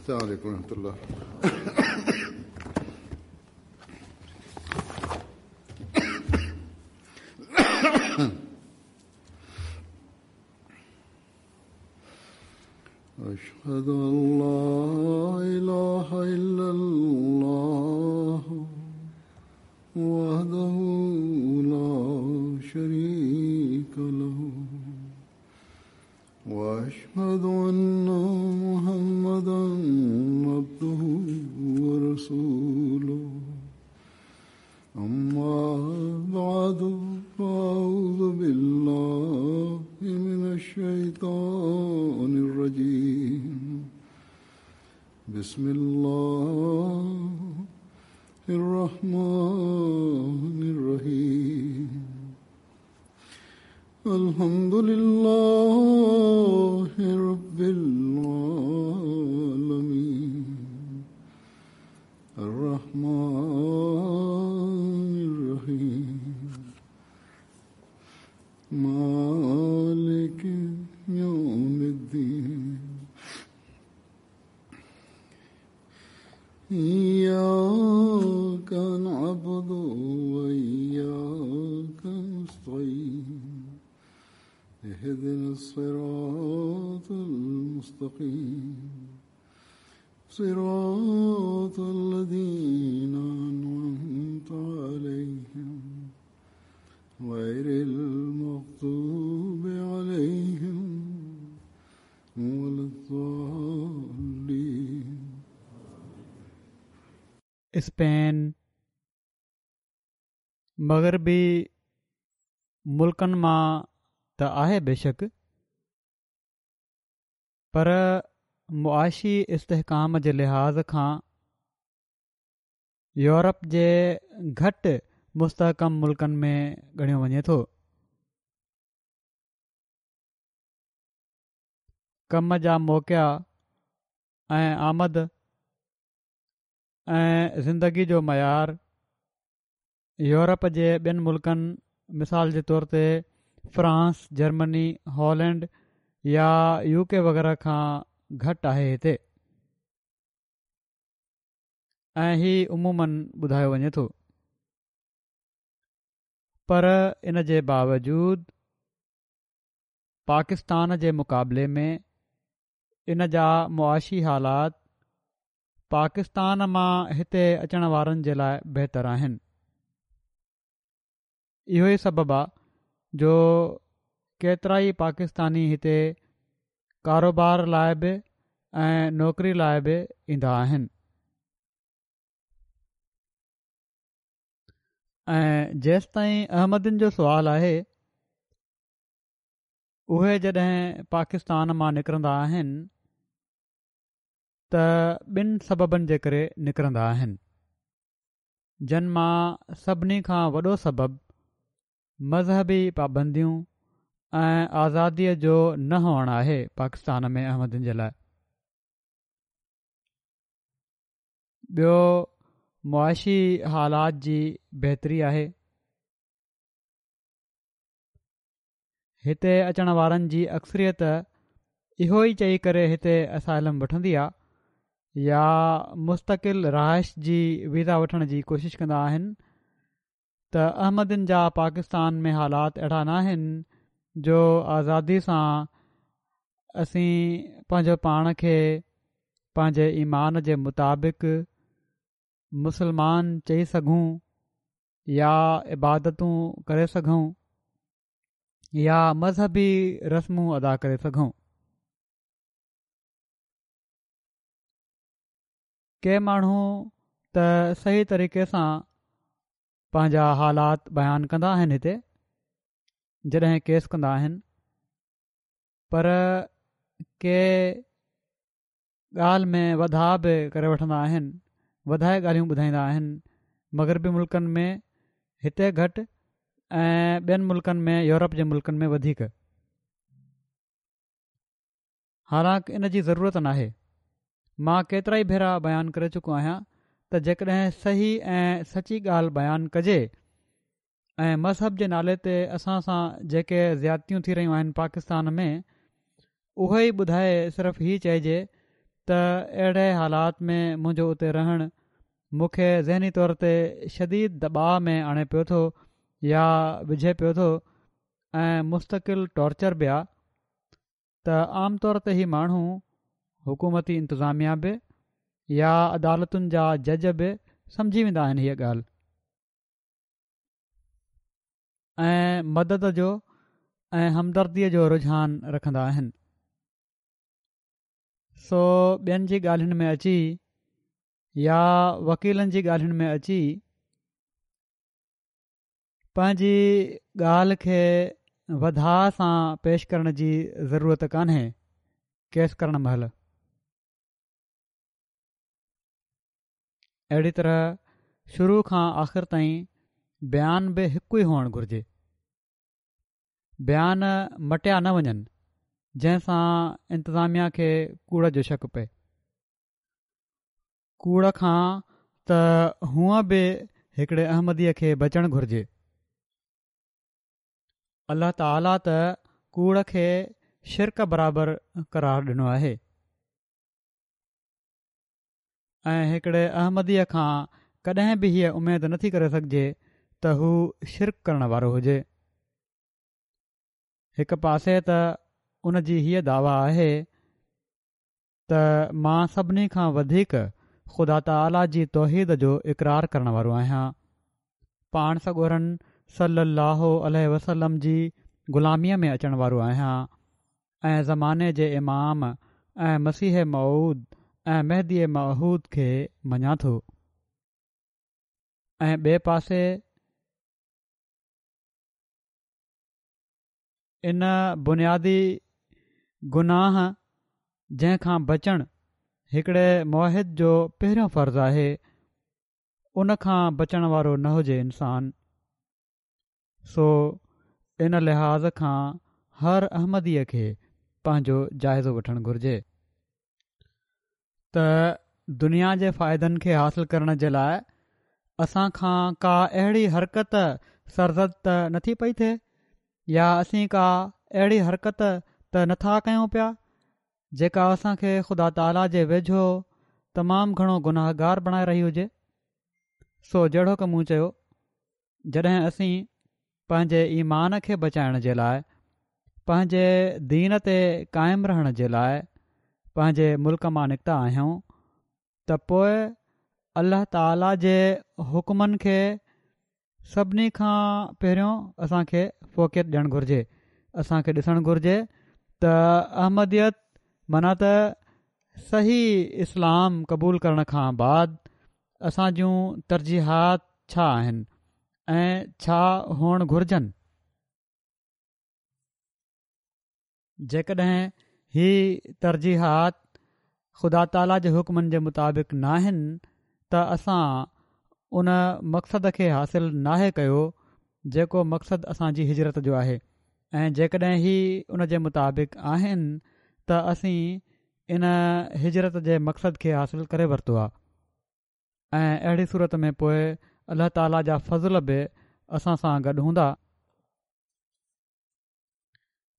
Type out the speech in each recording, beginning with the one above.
السلام عليڪم ورحمة الله. أشهد أن لا إله إلا الله وحده لا شريك له وأشهد أن محمدا عبده ورسوله أما بعد فأعوذ بالله من الشيطان الرجيم بسم الله الرحمن الرحيم الحمد لله رب العالمين الرحمن الرحيم مالك يوم الدين إياك نعبد وإياك نستعين اهدنا الصراط المستقيم صراط الذين أنعمت عليهم غير المغضوب عليهم ولا الضالين. اسپين مغربي ملڪن مان ته آهي بيشڪ پر معاشي استحڪام جي لحاظ کان يورپ جي گهٽ مستحڪم ملڪن ۾ ڳڻيو وڃي ٿو. ڪم جا موقعا ۽ آمد ۽ زندگي جو معيار يورپ جي ٻين ملڪن مثال جي طور تي فرانس، جرمني، هالينڊ يا يو ڪي وغيره کان گهٽ آهي هتي ۽ هي عموماً ٻڌايو وڃي ٿو پر ان جي باوجود پاڪستان جي مقابلي ۾ ان جا معاشي حالات پاڪستان مان هتي اچڻ وارن جي لاء بهتر آهن. اهو ئي سبب آ جو ڪيترائي پاڪستاني هتي ڪاروبار لاء به ۽ نوڪري لاء به ايندا آهن. ۽ جيستائين احمدين جو سوال آهي اهي جڏهن پاڪستان مان نڪرندا آهن ته ٻن سببن جي ڪري نڪرندا آهن جن مان سڀني کان وڏو سبب مذهبي پابنديون ۽ آزاديء جو نه هئڻ آهي پاڪستان ۾ احمدين جي لاء ٻيو معاشي حالات جي بهتري آهي هتي اچڻ وارن جي اڪثريت اهو ئي چئي ڪري هتي اسائلم وٺندي آ يا مستقل رهائش جي ويزا وٺڻ جي ڪوشش ڪندا آهن ته احمدين جا پاڪستان ۾ حالات اهڙا ناهن جو آزادي سان اسين پنهنجو پاڻ کي پنهنجي ايمان جي مطابق مسلمان چئي سگهون يا عبادتون ڪري سگهون يا مذهبي رسمون ادا ڪري سگهون. ڪي ماڻهو ته صحيح طريقي سان پنهنجا حالات بيان ڪندا آهن هتي جڏهن ڪيس ڪندا آهن پر ڪي ڳالهه ۾ وڌاء به ڪري وٺندا آهن، وڌائي ڳالهيون ٻڌائيندا آهن، مغربي ملڪن ۾ هتي گهٽ ۽ ٻين ملڪن ۾ يورپ جي ملڪن ۾ وڌيڪ. حالانڪ ان جي ضرورت ناهي. مان ڪيترائي ڀيرا بيان ڪري چڪو آهيان ته جيڪڏهن صحيح ۽ سچي ڳالهه بيان ڪجي ۽ مذهب جي نالي تي اسان سان جيڪي زيادتيون ٿي رهيون آهن پاڪستان ۾ اهي ئي ٻڌائي صرف هي چئجي ته اهڙي حالات ۾ منهنجو اتي رهڻ مون کي ذهني طور تي شديد دٻاء ۾ آڻي پيو ٿو يا وجهي پيو ٿو ۽ مستقل ٽارچر به آ ته عام طور تي هي ماڻهو حڪومتي انتظاميا به يا عدالتن جا جج به سمجهي ويندا آهن هيء ڳالهه ۽ مدد جو ۽ همدرديء جو رجحان رکندا آهن. سو ٻين جي ڳالهين ۾ اچي يا وڪيلن جي ڳالهين ۾ اچي پنهنجي ڳالهه کي وڌاء سان پيش ڪرڻ جي ضرورت ڪانهي ڪيس ڪرڻ مهل اهڙي طرح شروع کان آخر تائين بيان به هڪ ئي هئڻ گهرجي بيان مٽيا نه وڃن جنهن سان انتظاميا کي ڪوڙ جو شڪ پئي. ڪوڙ کان ته هونء به هڪڙي احمديء کي بچڻ گهرجي. الله تعاليٰ ته ڪوڙ کي شرڪ برابر قرار ڏنو آهي ۽ هڪڙي احمديء کان ڪڏهن به هيء اميد نٿي ڪري سگهجي ته هو شرڪ ڪرڻ وارو هجي. هڪ پاسي ته ان جي هيء دعويٰ آهي ته مان سڀني کان وڌيڪ خدا تعاليٰ جي توحيد جو اقرار ڪرڻ وارو آهيان، پاڻ سڳورن صلّي اللّٰه عليه وسلّم جي غلاميء ۾ اچڻ وارو آهيان ۽ زماني جي امام ۽ مسيح موعود ۽ مهدي معهود کي مڃان ٿو ۽ ٻئي پاسي ان بنيادي گناهه جنهن کان بچڻ هڪڙي موحد جو پهريون فرض آهي ان کان بچڻ وارو نه هجي انسان سو ان لحاظ کان هر احمديء کي پنهنجو جائزو وٺڻ گهرجي ته دنيا جي فائدن کي حاصل ڪرڻ جي لاء اسان کان ڪا اهڙي حرڪت سرزد ته نٿي پئي ٿئي يا اسين ڪا اهڙي حرڪت ته نٿا ڪيون پيا جيڪا اسان کي خدا تعاليٰ جي ويجهو تمام گهڻو گناهگار بڻائي رهي هجي. سو جهڙوڪ مون چيو جڏهن اسين پنهنجي ايمان کي بچائڻ جي لاء پنهنجي دين تي قائم رهڻ جي لاء پنهنجي ملڪ مان نڪتا آهيون ته پوء الله تعالي جي حڪمن کي سڀني کان پهريون اسان کي فوقيت ڏيڻ گهرجي اسان کي ڏسڻ گهرجي ته احمديت معنيٰ ته صحيح اسلام قبول ڪرڻ کان بعد اسان جون ترجيحات ڇا آهن ۽ ڇا هئڻ گهرجن؟ جيڪڏهن هي ترجيحات خدا تعاليٰ جي حڪمن جي مطابق ناهن ته اسان ان مقصد کي حاصل ناهي ڪيو جيڪو مقصد اسان جي هجرت جو آهي ۽ جيڪڏهن هي ان جي مطابق آهن ته اسين ان هجرت جي مقصد کي حاصل ڪري ورتو آهي ۽ اهڙي صورت ۾ پوء الله تعاليٰ جا فضل به اسان سان گڏ هوندا.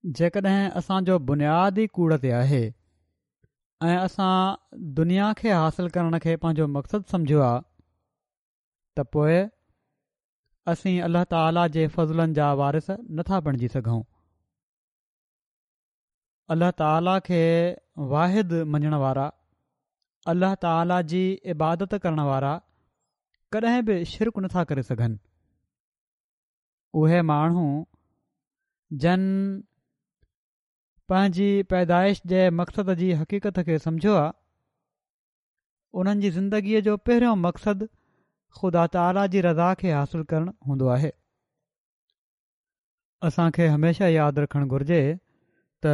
جيڪڏهن اسان جو بنياد ئي ڪوڙ تي آهي ۽ اسان دنيا کي حاصل ڪرڻ کي پنهنجو مقصد سمجهيو آهي ته پوء اسين الله تعاليٰ جي فضلن جا وارث نٿا بڻجي سگهون. الله تعاليٰ کي واحد مڃڻ وارا، الله تعاليٰ جي عبادت ڪرڻ وارا ڪڏهن به شرڪ نٿا ڪري سگهن. اهي ماڻهو جن پنهنجي پيدائش جي مقصد جي حقيقت کي سمجهيو آ، انهن جي زندگيء جو پهريون مقصد خدا تعاليٰ جي رضا کي حاصل ڪرڻ هوندو آهي. اسان کي هميشه ياد رکڻ گهرجي ته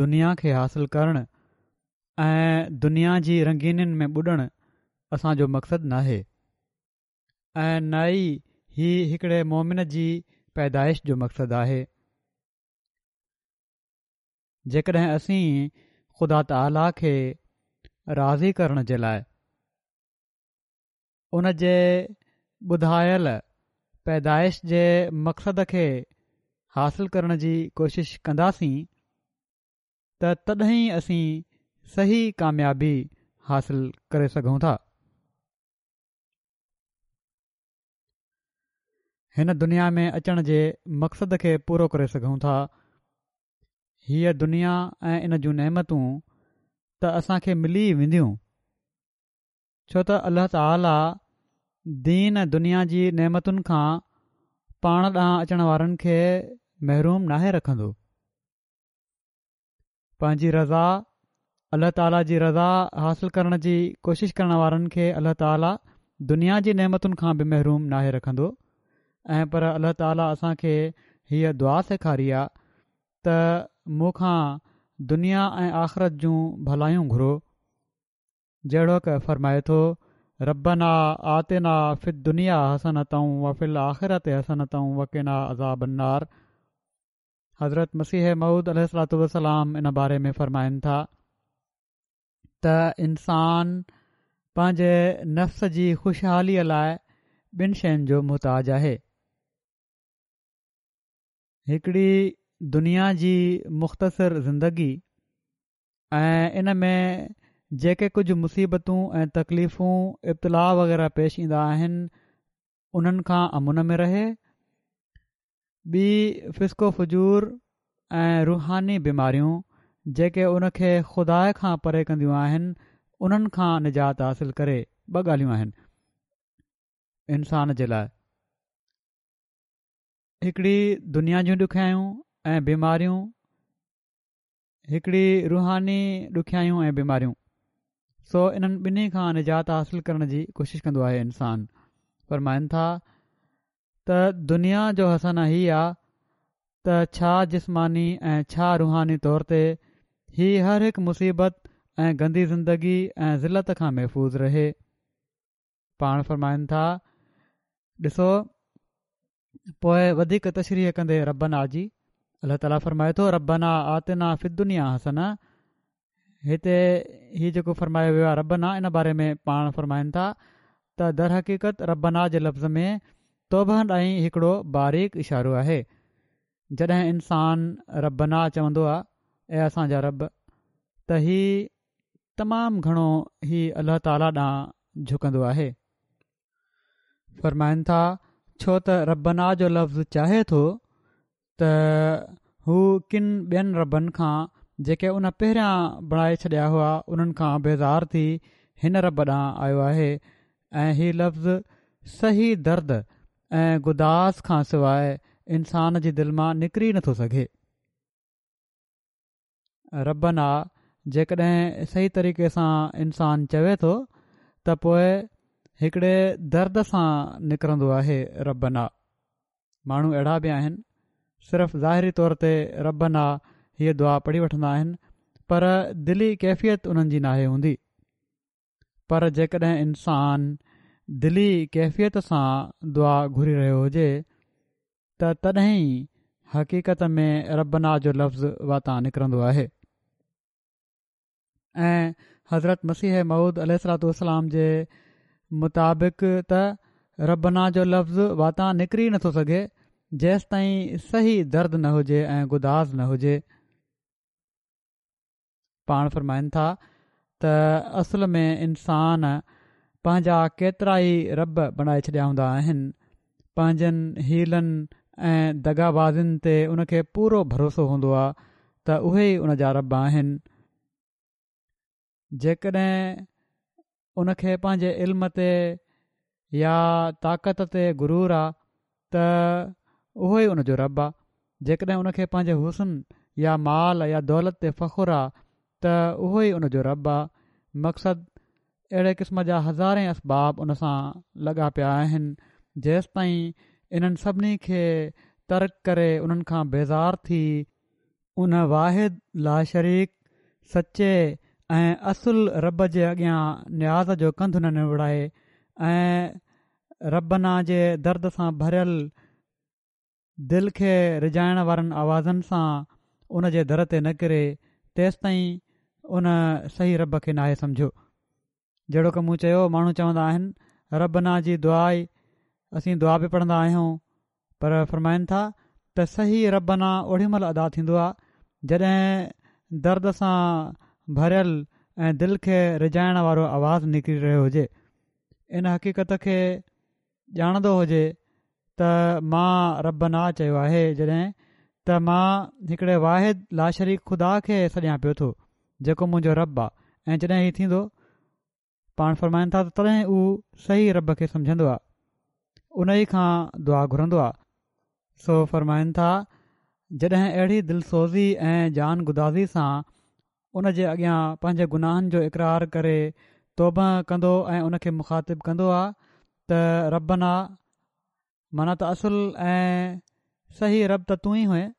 دنيا کي حاصل ڪرڻ ۽ دنيا جي رنگينين ۾ ٻڏڻ اسان جو مقصد ناهي ۽ نه ئي هي هڪڙي مومن جي پيدائش جو مقصد آهي. جيڪڏهن اسين خدا تعاليٰ کي راضي ڪرڻ جي لاء ان جي ٻڌايل پيدائش جي مقصد کي حاصل ڪرڻ جي ڪوشش ڪنداسين ته تڏهن ئي اسين صحيح ڪاميابي حاصل ڪري سگهون ٿا. هن دنيا ۾ اچڻ جي مقصد کي پورو ڪري سگهون ٿا. هيء دنيا ۽ ان جون نعمتون ته اسان کي ملي ئي وينديون، ڇو ته الله تعاليٰ دين ۽ دنيا جي نعمتن کان پاڻ ڏانهن اچڻ وارن کي محروم ناهي رکندو. پنهنجي رضا، الله تعاليٰ جي رضا حاصل ڪرڻ جي ڪوشش ڪرڻ وارن کي الله تعاليٰ دنيا جي نعمتن کان به محروم ناهي رکندو ۽ پر الله تعاليٰ اسان کي هيء دعا سيکاري آ ته مون کان دنيا ۽ آخرت جون ڀلايون گهرو جهڙوڪ فرمائي ٿو ربنا آتنا في الدنيا حسنة وفي الآخرة حسنة وقنا عذاب النار حضرت مسيح موعود عليه الصلوة والسلام ان باري ۾ فرمائن ٿا ته انسان پنهنجي نفس جي خوشحاليء لاء ٻن شين جو محتاج آهي هڪڙي دنيا جي مختصر زندگي ۽ ان ۾ جيڪي ڪجهه مصيبتون ۽ تڪليفون ابتلاء وغيره پيش ايندا آهن انهن کان امن ۾ رهي، ٻي فسق و فجور ۽ روحاني بيماريون جيڪي ان کي خدا کان پري ڪنديون آهن انهن کان نجات حاصل ڪري، ٻه ڳالهيون آهن انسان جي لاء هڪڙي دنيا جون ڏکيائيون ۽ بيماريون هڪڙي روحاني ڏکيائيون ۽ بيماريون سو انهن ٻنهي کان نجات حاصل ڪرڻ جي ڪوشش ڪندو آهي انسان فرمائن ٿا ته دنيا جو حسنه هي آ ته ڇا جسماني ۽ ڇا روحاني طور تي هي هر هڪ مصيبت ۽ گندي زندگي ۽ ذلت کان محفوظ رهي پاڻ فرمائن ٿا ڏسو پوء وڌيڪ تشريح ڪندي ربنا جي الله تعاليٰ فرمائي ٿو ربنا آتنا في الدنيا حسنة هتي هي جيڪو فرمايو ويو آهي ربنا ان باري ۾ پاڻ فرمائن ٿا ته درحقيقت ربنا جي لفظ ۾ توبه ڏانهن هڪڙو باريڪ اشارو آهي جڏهن انسان ربنا چوندو آهي اي اسان جا رب ته هي تمام گهڻو هي الله تعاليٰ ڏانهن جهڪندو آهي. فرمائن ٿا، ڇو ته ربنا جو لفظ چاهي ٿو ته هو ڪن ٻين ربن کان جيڪي ان پهريان بڻائي ڇڏيا هئا انهن کان بيزار ٿي هن رب ڏانهن آيو آهي ۽ هي لفظ صحيح درد ۽ گداز کان سواء انسان جي دل مان نڪري نٿو سگهي. ربنا جيڪڏهن صحيح طريقي سان انسان چوي ٿو ته پوء هڪڙي درد سان نڪرندو آهي ربنا ماڻهو اهڙا به آهن صرف ظاهري طور تي ربنا هيء دعا پڙهي وٺندا آهن پر دلي ڪيفيت انهن جي ناهي هوندي پر جيڪڏهن انسان دلي ڪيفيت سان دعا گهري رهيو هجي ته تڏهن ئي حقيقت ۾ ربنا جو لفظ واتان نڪرندو آهي ۽ حضرت مسيح موعود عليه الصلوة والسلام جي مطابق ته ربنا جو لفظ واتان نڪري نٿو سگهي جيستائين صحيح درد نه هجي ۽ گداز نه هجي. پاڻ فرمائن ٿا ته اصل ۾ انسان پنهنجا ڪيترائي رب بڻائي ڇڏيا هوندا آهن، پنهنجن حيلن ۽ دغابازين تي ان کي پورو ڀروسو هوندو آهي ته اهي ئي ان جا رب آهن، جيڪڏهن ان کي پنهنجي علم تي يا طاقت تي غرور آ ته اهو ئي ان جو رب آ، جيڪڏهن ان کي پنهنجي حسن يا مال يا دولت تي فخر آ ته اهو ئي ان جو رب آ، مقصد اهڙي قسم جا هزارين اسباب ان سان لڳا پيا آهن، جيستائين انهن سڀني کي ترڪ ڪري انهن کان بيزار ٿي، ان واحد لاشريڪ، سچي ۽ اصل رب جي اڳيان نياز جو ڪنڌ نه نوڙائي ۽ ربنا جي درد سان ڀريل دل کي رجائڻ وارن آوازن سان ان جي در تي نه ڪري تيستائين ان صحيح رب کي ناهي سمجهيو. جهڙوڪ مون چيو ماڻهو چوندا آهن ربنا جي دعا ئي اسين دعا به پڙهندا آهيون پر فرمائن ٿا ته صحيح ربنا اوڏي مهل ادا ٿيندو آهي جڏهن درد سان ڀريل ۽ دل کي ريجهائڻ وارو آواز نڪري رهيو هجي. ان حقيقت کي ڄاڻندو هجي ته مان ربنا چيو آهي جڏهن ته مان هڪڙي واحد لاشريڪ خدا کي سڏيان پيو ٿو جيڪو منهنجو رب آ ۽ جڏهن هي ٿيندو پاڻ فرمائن ٿا ته تڏهن هو صحيح رب کي سمجهندو آ ان ئي کان دعا گهرندو آ. سو فرمائن ٿا جڏهن اهڙي دلسوزي ۽ جان گدازي سان ان جي اڳيان پنهنجي گناهن جو اقرار ڪري توبه ڪندو ۽ ان کي مخاطب ڪندو آ ته ربنا معنيٰ ته اصل ۽ صحيح رب ته تون ئي هئين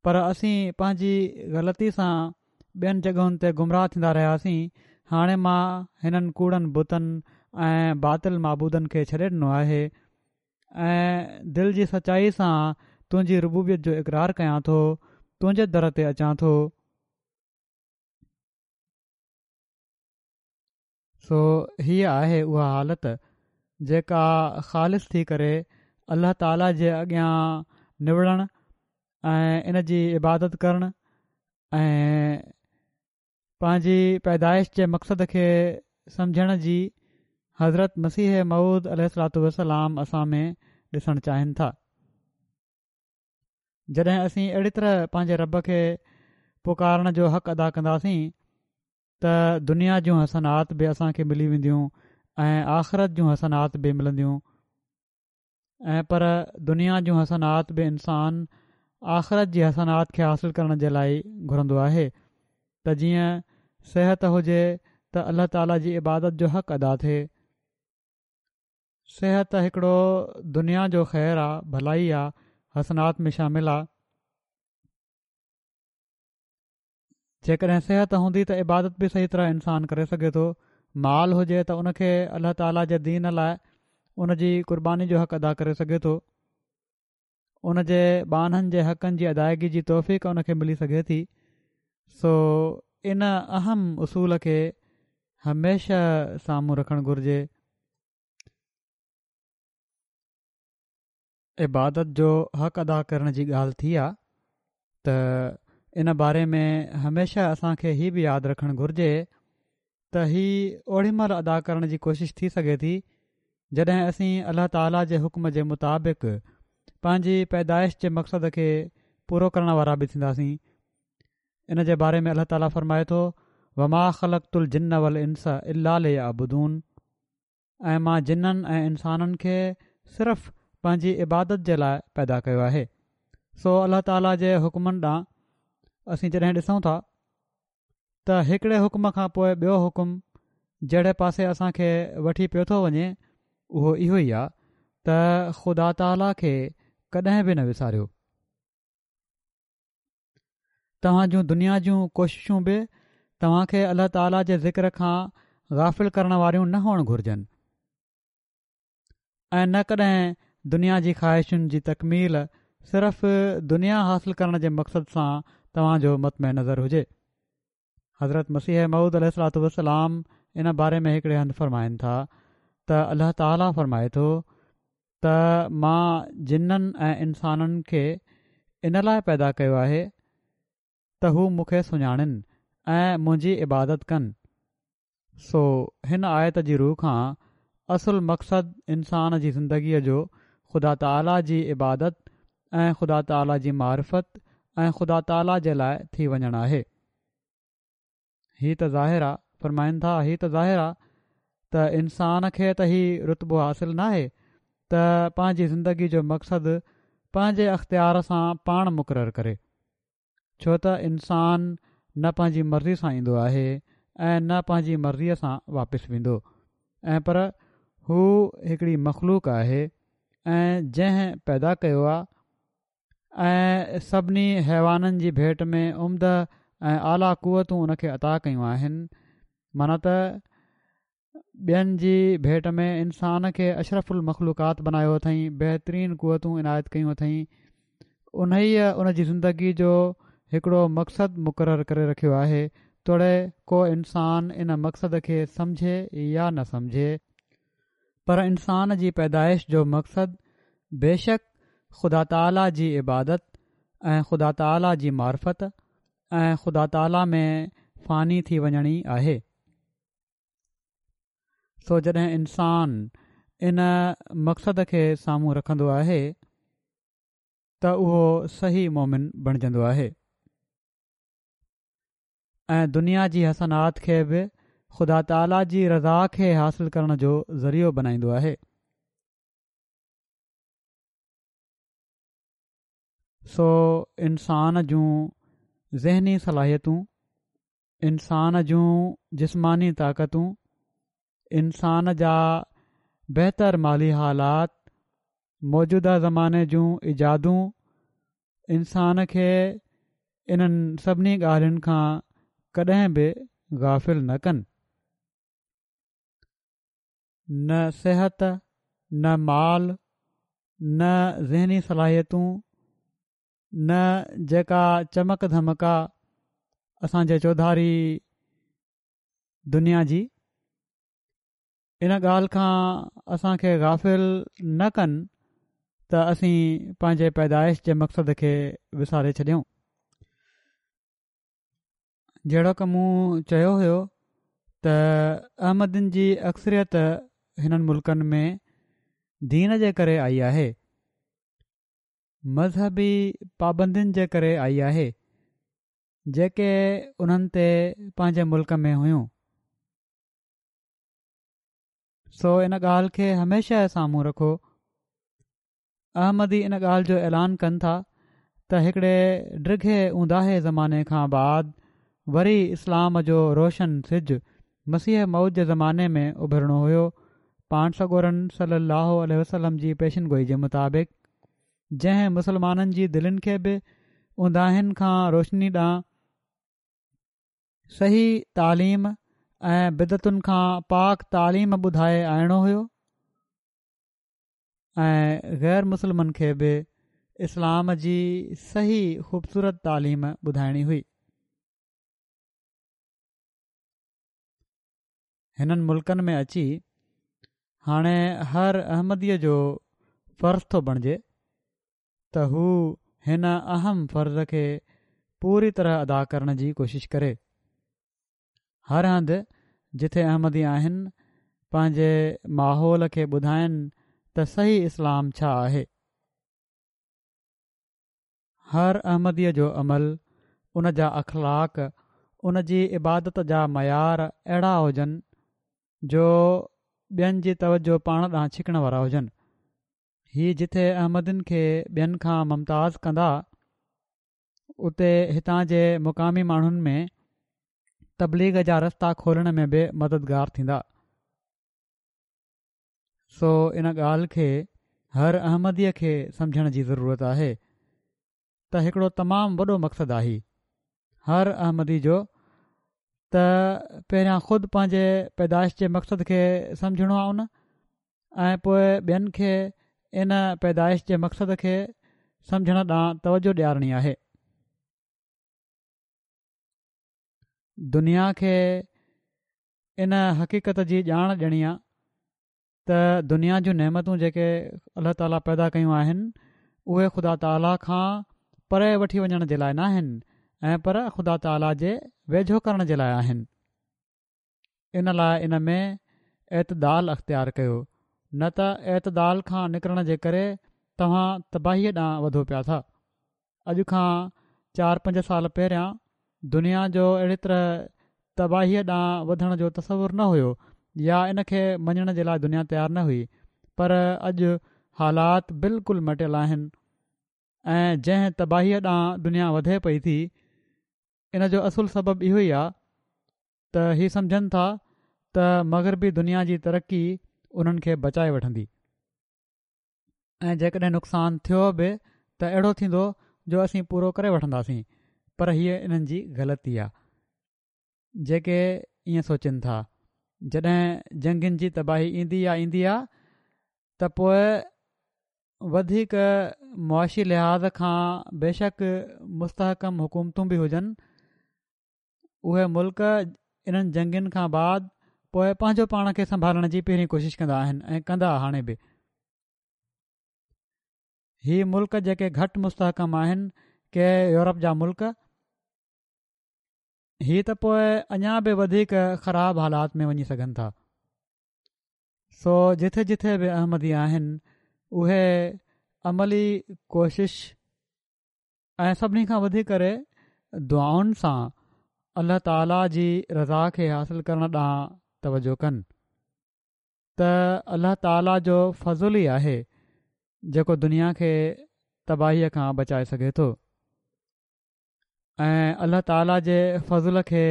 پر اسين پنهنجي غلطي سان ٻين جڳهن تي گمراهه ٿيندا رهياسين هاڻي مان هنن ڪوڙن بتن ۽ باطل معبودن کي ڇڏي ڏنو آهي ۽ دل جي سچائي سان تنهنجي ربوبيت جو اقرار ڪيان ٿو تنهنجي در تي اچان ٿو. سو هيء آهي اها حالت جيڪا خالص ٿي ڪري الله تعاليٰ جي اڳيان نوڙڻ ۽ ان جي عبادت ڪرڻ ۽ پنهنجي پيدائش جي مقصد کي سمجهڻ جي حضرت مسيح موعود عليه الصلوٰة والسلام اسان ۾ ڏسڻ چاهين ٿا. جڏهن اسين اهڙي طرح پنهنجي رب کي پڪارڻ جو حق ادا ڪنداسين ته دنيا جون حسنات به اسان کي ملي وينديون ۽ آخرت جون حسنات به ملنديون ۽ پر دنيا جون حسنات به انسان آخرت جي حسنات کي حاصل ڪرڻ جي لاء گهرندو آهي ته جيئن صحت هجي ته الله تعالي جي عبادت جو حق ادا ٿئي. صحت هڪڙو دنيا جو خير آ، ڀلائي آ، حسنات ۾ شامل آ. جيڪڏهن صحت هوندي ته عبادت به صحيح طرح انسان ڪري سگهي ٿو. مال هجي ته ان کي الله تعاليٰ جي دين لاء ان جي قرباني جو حق ادا ڪري سگهي ٿو. ان جي ٻانهن جي حقن جي ادائگي جي توفيق ان کي ملي سگهي ٿي. سو ان اهم اصول کي هميشه سامهون رکڻ گهرجي. عبادت جو حق ادا ڪرڻ جي ڳالهه ٿي آ ته ان باري ۾ هميشه اسان کي هي به ياد رکڻ گهرجي ته هي اوڏي مهل ادا ڪرڻ جي ڪوشش ٿي سگهي ٿي جڏهن اسين الله تعاليٰ جي حڪم جي مطابق پنهنجي پيدائش جي مقصد کي پورو ڪرڻ وارا به ٿينداسين ان جي باري ۾ الله تعاليٰ فرمائي ٿو وما خلقت الجن والانس الا ليعبدون ۽ مان جنن ۽ انسانن کي صرف پنهنجي عبادت جي لاء پيدا ڪيو آهي. سو الله تعاليٰ جي حڪمن ڏانهن اسين جڏهن ڏسون ٿا ته هڪڙي حڪم کان پوء ٻيو حڪم جهڙي پاسي اسان کي وٺي پيو ٿو وڃي اهو اهو ئي آهي ته خدا تعاليٰ کي ڪڏهن به نه وساريو. توهان جون دنيا جون ڪوششون به توهان کي الله تعاليٰ جي ذڪر کان غافل ڪرڻ واريون نه هئڻ گهرجن ۽ نه ڪڏهن دنيا جي خواهشن جي تڪميل صرف دنيا حاصل ڪرڻ جي مقصد سان توهان جو مطمع نظر هجي. حضرت مسيح موعود عليه الصلوٰة والسلام ان باري ۾ هڪڙي هنڌ فرمائن ٿا ته الله تعاليٰ فرمائي ٿو ته مان جنن ۽ انسانن کي ان لاء پيدا ڪيو آهي ته هو مون کي سڃاڻن ۽ منهنجي عبادت ڪن. سو هن آيت جي رو کان اصل مقصد انسان جي زندگيء جو خدا تعاليٰ جي عبادت ۽ خدا تعاليٰ جي معرفت ۽ خدا تعاليٰ جي لاء ٿي وڃڻ آهي. هي ته ظاهر آ، فرمائن ٿا، هي ته ظاهر آ ته انسان کي ته هي رتبو حاصل ناهي ته پنهنجي زندگي جو مقصد پنهنجي اختيار سان پاڻ مقرر ڪري، ڇو ته انسان نه پنهنجي مرضي سان ايندو آهي ۽ نه پنهنجي مرضيء سان واپس ويندو ۽ پر هو هڪڙي مخلوق آهي ۽ جنهن پيدا ڪيو آ ۽ سڀني حيوانن جي ڀيٽ ۾ عمده ۽ اعليٰ قوتون ان کي عطا ڪيون آهن معنيٰ ته ٻين جي ڀيٽ ۾ انسان کي اشرف المخلوقات بنايو اٿئين بهترين قوتون عنايت ڪيون اٿئين انهيء ان جي زندگي جو هڪڙو مقصد مقرر ڪري رکيو آهي توڙي ڪو انسان ان مقصد کي سمجهي يا نه سمجهي. پر انسان جي پيدائش جو مقصد بيشڪ خدا تعاليٰ جي عبادت ۽ خدا تعاليٰ جي معرفت ۽ خدا تعاليٰ ۾ فاني ٿي وڃڻ ئي آهي. سو جڏهن انسان ان مقصد کي سامهون رکندو آهي ته اهو صحيح مومن بڻجندو آهي ۽ دنيا جي حسنات کي به خدا تعاليٰ جي رضا کي حاصل ڪرڻ جو ذريعو بنائيندو آهي. سو انسان جون ذهني صلاحيتون، انسان جون جسماني طاقتون، انسان جا بهتر مالي حالات، موجوده زماني جون ايجادون انسان کي انهن سڀني ڳالهين کان ڪڏهن به غافل نه ڪن. نه صحت، نه مال، نه ذهني صلاحيتون، نه جيڪا چمڪ ڌمڪ آ اسان جي چوڌاري دنيا جي، ان ڳالهه کان اسان کي غافل نه ڪن ته اسين پنهنجي پيدائش جي مقصد کي وساري ڇڏيون. جهڙوڪ مون چيو هيو ته احمدين جي اڪثريت هنن ملڪن ۾ دين جي ڪري آئي آهي، مذهبي پابندين جي ڪري آئي آهي، جيڪي انهن تي پنهنجي ملڪ ۾ هيون. سو ان ڳالهه کي هميشه سامهون رکو. احمدي ان ڳالهه جو اعلان ڪن ٿا ته هڪڙي ڊگهي اونداهي زماني کان بعد وري اسلام جو روشن سج مسيح موعود جي زماني ۾ اڀرڻو هيو پاڻ سڳورن صلي الله عليه وسلم جي پيشن گوئي جي مطابق جنهن مسلمانن جي دلين کي به اونداهين کان روشني ڏانهن صحيح تعليم ۽ بدعتن کان پاڪ تعليم ٻڌائي آڻڻو هيو. ۽ غير مسلمن کي به اسلام جي صحيح خوبصورت تعليم ٻڌائڻي هئي. هنن ملڪن ۾ اچي هاڻي هر احمديء جو فرض ٿو بڻجي ته هو هن اهم فرض کي پوري طرح ادا ڪرڻ جي ڪوشش ڪري. هر هنڌ جٿي احمدي آهن پنهنجي ماحول کي ٻڌائن ته صحيح اسلام ڇا آهي. هر احمديء جو عمل، ان جا اخلاق، ان جي عبادت جا معيار اهڙا هجن جو ٻين جي توجه پاڻ ڏانهن ڇڪڻ وارا هجن. هي جٿي احمدين کي ٻين کان ممتاز ڪندا اتي هتان جي مقامي ماڻهن ۾ تبليغ جا رستا کولڻ ۾ به مددگار ٿيندا. سو ان ڳالهه کي هر احمديء کي سمجهڻ جي ضرورت آهي ته هڪڙو تمام وڏو مقصد آهي هر احمدي جو ته پهريان خود پنهنجي پيدائش جي مقصد کي سمجهڻو آهي ان ۽ پوء ٻين کي ان پيدائش جي مقصد کي سمجهڻ ڏانهن توجه ڏيارڻي آهي. دنيا کي ان حقيقت جي ڄاڻ ڏيڻي آ ته دنيا جون نعمتون جيڪي الله تعاليٰ پيدا ڪيون آهن اهي خدا تعاليٰ کان پري وٺي وڃڻ جي لاء ناهن ۽ پر خدا تعاليٰ جي ويجهو ڪرڻ جي لاء آهن. ان لاء ان ۾ اعتدال اختيار ڪيو، نه ته اعتدال کان نڪرڻ جي ڪري توهان تباهيء ڏانهن وڌو پيا ٿا. اڄ کان چار پنج سال پهريان دنيا جو اهڙي طرح تباهيء ڏانهن وڌڻ جو تصور نه هيو يا ان کي مڃڻ جي لاء دنيا تيار نه هئي پر اڄ حالات بلڪل مٽيل آهن ۽ جنهن تباهيء ڏانهن دنيا وڌي پئي ٿي ان جو اصل سبب اهو ئي آهي ته هي سمجهن ٿا ته مغربي دنيا جي ترقي انهن کي بچائي وٺندي ۽ جيڪڏهن نقصان ٿيو به ته اهڙو ٿيندو جو اسين پورو ڪري وٺنداسين پر هيء انهن جي غلطي آ جيڪي ائين سوچين ٿا. جڏهن جنگين جي تباهي ايندي آ ايندي آ ته پوء وڌيڪ معاشي لحاظ کان بيشڪ مستحڪم حڪومتون به هجن اهي ملڪ انهن جنگين کان بعد پوء پنهنجو پاڻ کي سنڀالڻ جي پهرين ڪوشش ڪندا آهن ۽ ڪندا هاڻي به هي ملڪ جيڪي گهٽ مستحڪم آهن ڪي يورپ جا ملڪ هي ته پوء اڃا به وڌيڪ خراب حالات ۾ وڃي سگهن ٿا. سو جٿي جٿي به احمدي آهن اهي عملي ڪوشش ۽ سڀني کان وڌي ڪري دعائن سان الله تعالي جي رضا کي حاصل ڪرڻ ڏانهن توجه ڪن ته الله تعالي جو فضل ئي آهي جيڪو دنيا کي تباهيء کان بچائي سگهي ٿو ۽ الله تعالي جي فضل کي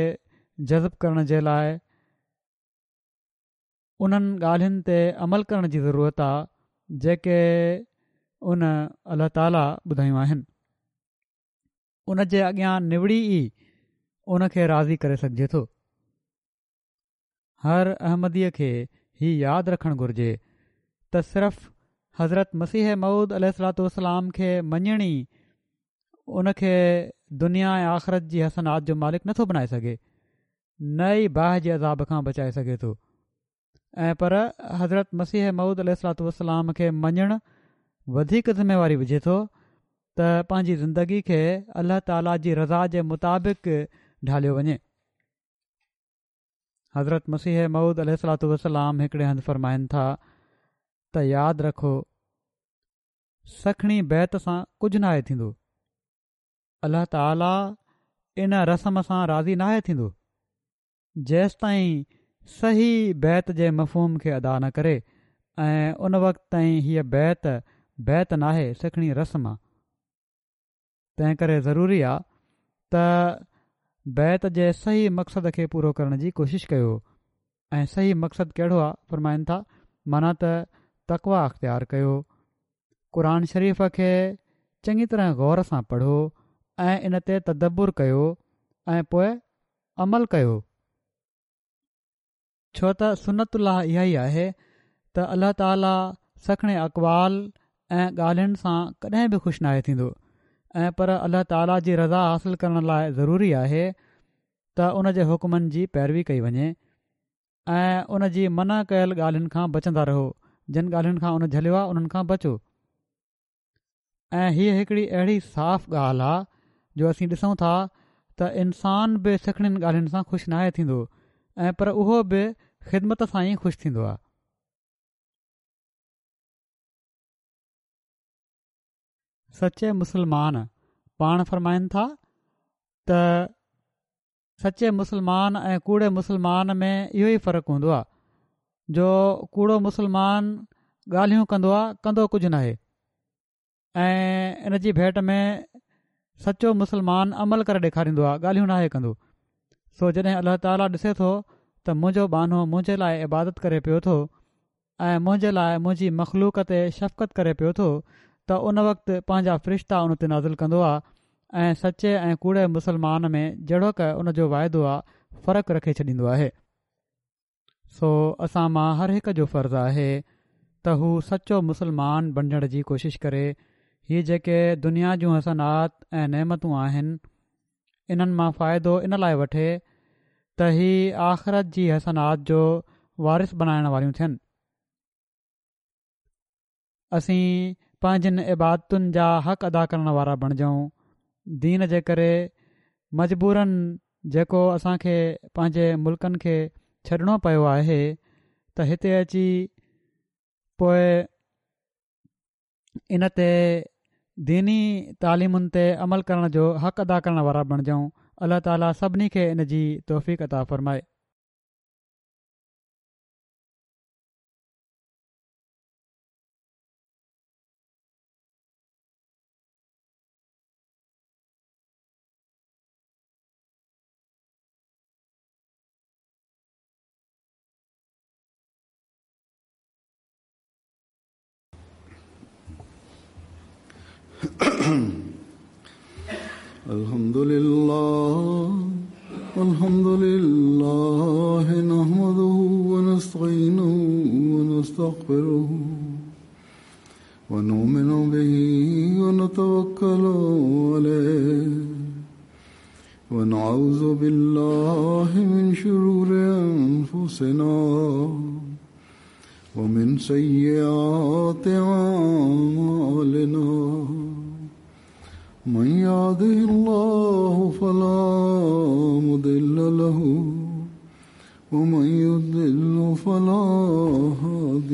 جذب ڪرڻ جي لاء انهن ڳالهين تي عمل ڪرڻ جي ضرورت آ جيڪي ان الله تعالي ٻڌايون آهن ان جي اڳيان نوڙي ئي ان کي راضي ڪري سگهجي ٿو. هر احمديء کي هي ياد رکڻ گهرجي ته صرف حضرت مسيح موعود عليه الصلوة والسلام کي مڃڻ ئي ان کي دنيا ۽ آخرت جي حسنات جو مالڪ نٿو بنائي سگهي نه ئي باهه جي عذاب کان بچائي سگهي ٿو ۽ پر حضرت مسيح موعود عليه الصلوة والسلام کي مڃڻ وڌيڪ ذميواري وجهي ٿو ته پنهنجي زندگي کي الله تعاليٰ جي رضا جي مطابق ڍاليو وڃي. حضرت مسيح موعود عليه الصلوة والسلام هڪڙي هنڌ فرمائن ٿا ته ياد رکو سکڻي بيعت سان ڪجهه ناهي ٿيندو الله تعالي ان رسم سان راضي ناهي ٿيندو جيستائين صحيح بيعت جي مفهوم کي ادا نه ڪري ۽ ان وقت تائين هيء بيعت بيعت ناهي سکڻي رسم آ تنهن ڪري ضروري آ ته بيعت جي صحيح مقصد کي پورو ڪرڻ جي ڪوشش ڪيو ۽ صحيح مقصد ڪهڙو آ فرمائن ٿا معنيٰ ته تقويٰ اختيار ڪيو قرآن شريف کي چڱي طرح غور سان پڙهو ۽ ان تي تدبر ڪيو ۽ پوء عمل ڪيو. ڇو ته سنت الله اها ئي آهي ته الله تعاليٰ سکڻي اقوال ۽ ڳالهين سان ڪڏهن به خوش ناهي ٿيندو ۽ پر الله تعاليٰ جي رضا حاصل ڪرڻ لاء ضروري آهي ته ان جي حڪمن جي پيروي ڪئي وڃي ۽ ان جي منع ڪيل ڳالهين کان بچندا رهو جن ڳالهين کان ان جهليو آهي انهن کان بچو. ۽ هيء هڪڙي اهڙي صاف ڳالهه آ جو اسين ڏسون ٿا ته انسان به سکڻين ڳالهين سان خوش ناهي ٿيندو ۽ پر اهو به خدمت سان ئي خوش ٿيندو آ. سچي مسلمان پاڻ فرمائن ٿا ته. سچي مسلمان ۽ ڪوڙي مسلمان ۾ اهو ئي فرق هوندو آهي جو ڪوڙو مسلمان ڳالهيون ڪندو آهي ڪندو ڪجهه ناهي ۽ ان جي ڀيٽ ۾ سچو مسلمان عمل ڪري ڏيکاريندو آهي ڳالهيون ناهي ڪندو سو جڏهن الله تعاليٰ ڏسي ٿو ته منهنجو ٻانهو منهنجي لاء عبادت ڪري پيو ٿو ۽ منهنجي لاء منهنجي مخلوق تي شفقت ڪري پيو ٿو ته ان وقت پنهنجا فرشتا ان تي نازل ڪندو آ ۽ سچي ۽ ڪوڙي مسلمان ۾ جهڙوڪ ان جو واعدو آ فرق رکي ڇڏيندو آهي. سو اسان مان هر هڪ جو فرض آهي ته هو سچو مسلمان بڻجڻ جي ڪوشش ڪري هي جيڪي دنيا جون حسنات ۽ نعمتون آهن انهن مان فائدو ان لاء وٺي ته هي آخرت جي حسنات جو وارث بنائڻ واريون ٿين. اسين پنهنجين عبادتن جا حق ادا ڪرڻ وارا بڻجون. دين جي ڪري مجبوراً جيڪو اسان کي پنهنجي ملڪن کي ڇڏڻو پيو آهي ته هتي اچي پوء ان تي ديني تعليمن تي عمل ڪرڻ جو حق ادا ڪرڻ وارا بڻجون الله تعالي سڀني کي ان جي توفيق عطا فرمائي. الحمد لله الحمد لله نحمده ونستعينه ونستغفره ونؤمن به ونتوكل عليه ونعوذ بالله من شرور أنفسنا ومن سيئات أعمالنا من يهده الله فلا مضل له ومن يضلل فلا هادي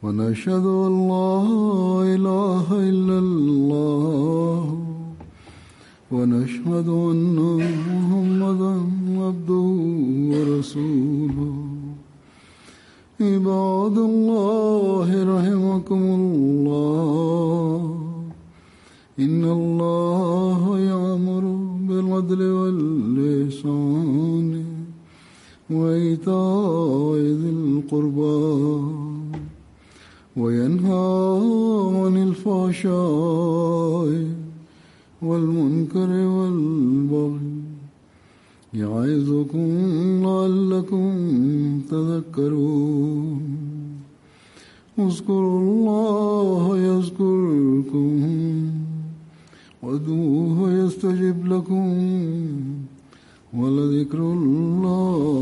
ونشهد أن لا إله إلا الله ونشهد أن محمدا عبده ورسوله. عباد الله رحمكم الله، إن الله يأمر بالعدل والإحسان وإيتاء ذي القربى وينهى عن الفحشاء والمنكر والبغي يعظكم لعلكم تذكرون. اذكروا الله يذكركم وادعوه يستجب لكم ولذكر الله